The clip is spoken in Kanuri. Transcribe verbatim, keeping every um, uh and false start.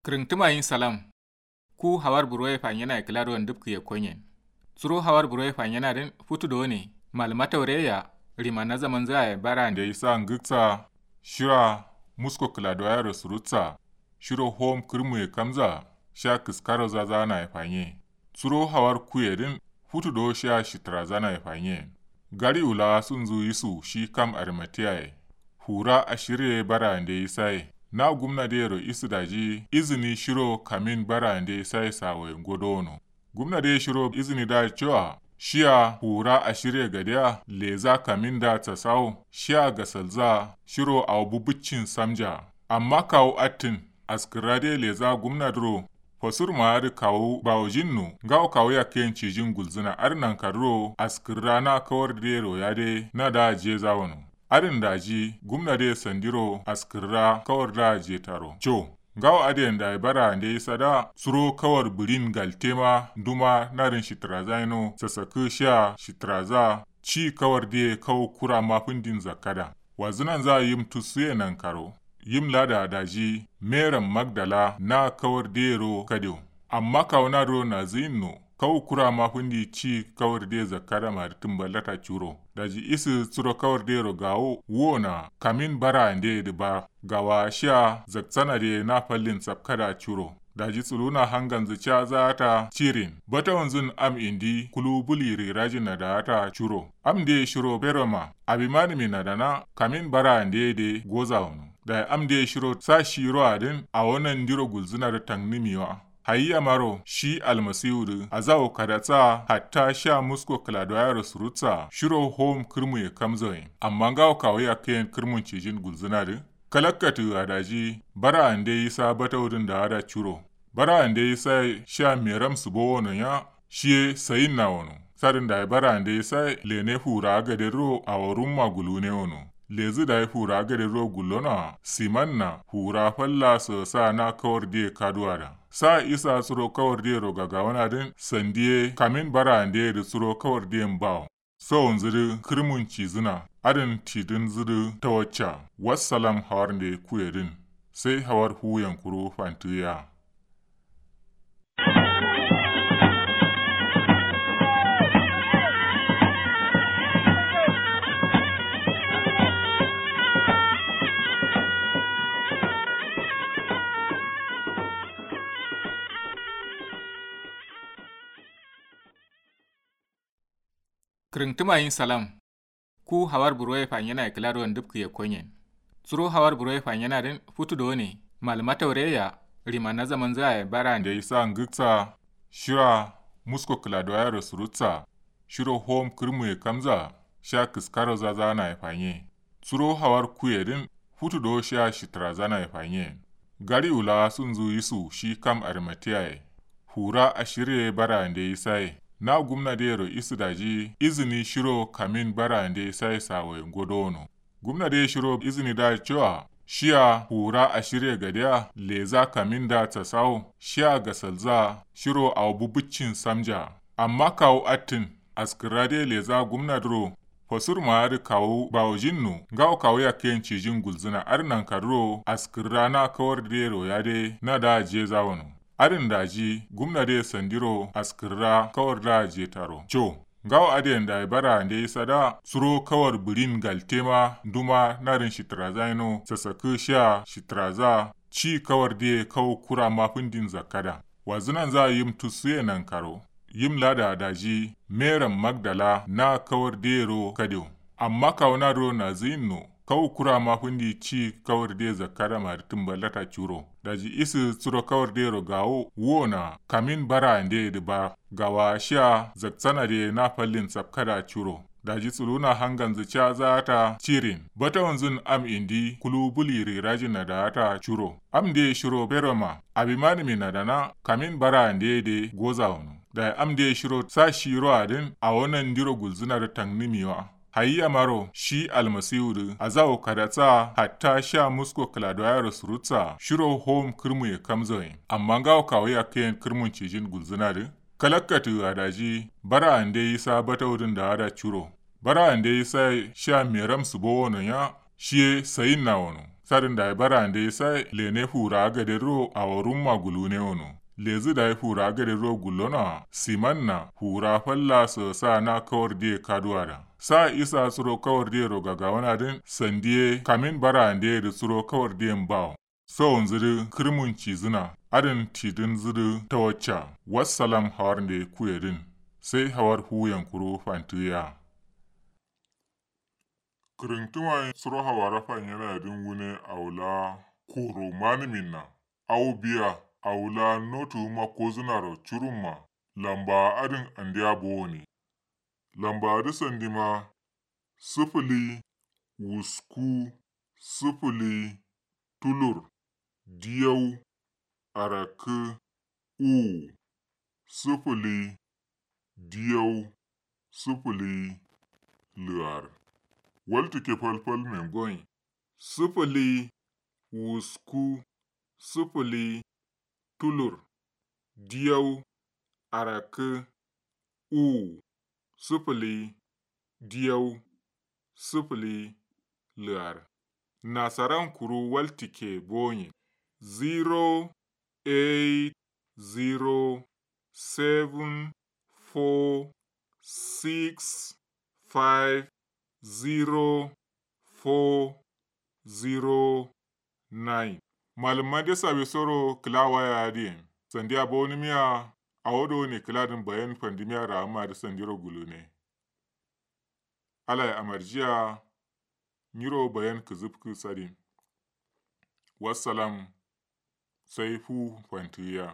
Kǝrǝngtǝma yin salam. Ku hawar buroye fanyena ye kǝla do ndǝpkǝ ye konyen. Suro hawar buroye fanyena dǝn futu do ne malǝma taure ya. Rima na zaman zǝ aye bara nde isa ngǝksa. Shira musko kǝla do yaro surutsa. Shiro hom kǝrmu ye kamza. Sha kǝskaro zaza na ye fanye. Suro hawar kuye dǝn futu do sha shitǝra zana ye fanye. Gari wula sunzu yisu shi kam arimatiya ye. Hura ashirye bara nde isa ye na gumna de yero isu daji izini shiro kamin bara nde isa ye sawo ye ngodo wono. Gumna de shiro izini da cewa shiya hura ashirye gadiya leza kamin da tsasawo shiya gasalza shiro awo bubuccin samja. Amma kawo attin askǝrra de leza gumna dǝro. Fasur ma adǝ kawu bawojin no ngawo kawu yakkayen cijin gulzǝna adǝ nankarǝro askǝrra na kawar dero yade na da jeza wono. Adǝn daji gumna de sandiro askǝrra kawar da jetaro co. Ngawo adǝyen dayi bara nde isada suro kawar bǝrin galte ma nduma nadǝn shitǝraza yeno sasakǝ shiya shitǝraza. Ci kawar diye kawu kura mafǝndin zakkada. Wazǝnanza yim tussuye nankaro. Yim lada daji meram magdala na kawar diyero kadewo. Amma kawu naduro nazǝyin no kawu kura mafǝndi ci kawar diye zakkada mari tǝmballata curo. Daji isǝ suro kawar diyero gawo wona kamin bara ndeye dǝ ba gawa shiya zakcana diye na fallin sapkada curo. Daji tsuluna hanganzǝ ca zaata cirin batawunzǝn am indi kulu buli rirajin nada'ata curo. Am ndiye shiro beroma abimanǝmi nadana kamin bara ndiye de goza wono. Dayi am ndiye shiro sa shiro adǝn awo nandiro gulzǝna dǝ tangnǝmi wa. Hayi yamaro shi almasiwu dǝ azawo kadatsa hatta sha musko kǝladoyaro surutsa shiro hom kǝrmuye kamzoyin amma ngawo kawu yakkayen kǝrmun cijin gulzǝna dǝ. Kalakkatǝ a daji bara ande isa batawudǝn da'ada curo. Bara ande isa ye sha meram sǝbo wono nya shiye sayinna wono. Sadǝn dayi bara ande isa ye lene fura gaderro awo rumma gulune wono. Lezǝ dayi fura gaderro gullono a simanna fura falla sǝ sa na kawar diye kaduwa da. Sa isa suro kawar diyero gagawanadǝn sandiye kamin bara ande dǝ suro kawar diyen bawo. Sowonzǝ dǝ kǝrmun cizǝna adǝn tidǝnzǝ dǝ tawacca. Wassalam hawar nde kuyedǝn sai hawar fuwuyen kuru fantǝgǝya. Kǝrǝngtǝma yin salam. Ku hawar buroye fanyena ye kǝla do ndǝpkǝ ye konyen. Suro hawar buroye fanyena dǝn futu do ne malǝma taure ya. Rima na zamanzǝ aye bara nde isa ngǝksa. Shira musko kǝladoyaro surutsa. Shiro hom kǝrmuye kamza sha kǝskaro zaza na ye fanye. Suro hawar kuye dǝn futu do shiya shitǝraza na ye fanye. Gari wula sunzu yisu shi kam arimatiya ye. Fura ashirye bara nde isa ye na gumna dero isu daji izini shiro kamin bara nde isa ye sawo ye ngodo wono. Gumna de shiro izini da cewa shiya fura ashirye gadiya leza kamin da tsasawo shiya gasalza shiro awo bubuccin samja. Amma kawu attǝn askǝrra de leza gumna dǝro. Fasur ma adǝ kawu bawojin no ngawo kawu yakkayen cijin gulzǝna adǝ nankarǝro askǝrra na kawar dero yade na da jeza wono. Adǝn daji gumna de sandiro askǝrra kawar da jetaro co. Ngawo adǝyen dayi bara nde isada suro kawar bǝrin galte ma nduma nadǝn shitǝraza yeno sasakǝ shiya shitǝraza. Ci kawar diye kawu kura mafǝndin zakkada. Wazǝnanza yim tussuye nankaro. Yim lada daji meram magdala na kawar diyero kadewo. Amma kawu naduro nazǝyin no kawu kura mafǝndi ci kawar diye zakkada mari tǝmballata curo. Daji isǝ suro kawar diyero gawo wona kamin bara ndeye dǝ ba gawa shiya zakcana diye na fallin sapkada curo. Daji tsuluna hanganzǝ ca zaata cirin batawunzǝn am indi kulu buli rirajin nada'ata curo. Am ndiye shiro beroma abimanǝmi nadana kamin bara ndeye de goza wono. Dayi am ndiye shiro sa shiro adǝn awo nandiro gulzǝna dǝ tangnǝmi wa. Hayi yamaro shi almasiwu dǝ azawo kadatsa hatta sha musko kǝladoyaro surutsa shiro hom kǝrmuye kamzoyin amma ngawo kawu yakkayen kǝrmun cijin gulzǝna dǝ. Kalakkatǝ a daji bara ande isa batawudǝn da'ada curo. Bara ande isa ye sha meram sǝbo wono nya shiye sayinna wono. Sadǝn dayi barande saye lene fura gadero awo rumma gulune wono. Lezǝ dayi fura gadero gullono a simanna fura falla sǝ sa na kawardiye kaduwa da. Sa isa suro kawardiyero gagawanadǝn sandiye kamin barandeyedǝ suro kawardiyen bawo. Sawonzǝdǝ kǝrmun cizǝna adǝn tidǝnzǝdǝ tawacca. Wassalam hawarnde kuyedǝn sai hawar fuwuyen kuru fantǝgǝya. Kǝrǝntǝma ye suro hawara fanyenadǝn wune awo la koro manǝminna. Awo biya awo la notuwuma kozǝnaro curumma. Lambawa adǝn andeya bowone. Lambawadǝ sandima sǝfǝli wusku sǝfǝli tulur diyau arakkǝ uwu sǝfǝli diyau sǝfǝli lǝar. Waltǝkke falfal men gonyi sǝfǝli wusku sǝfǝli tulur diyau arakkǝ uwu sǝfǝli diyau sǝfǝli lǝar. Nasaran kuru waltǝkke bonye zero eight zero seven four six five zero four zero nine. Malǝmma de sawe soro kǝla waya adǝ yen sandiya bowonǝmiya. Awo do ne kǝladǝn bayan fandǝmiya ra'amma dǝ sandiro gulune. Alaye amarjiya. Nyiro bayan kǝzǝfkǝ sadin. Wassalam. Sai fu fantǝgǝya.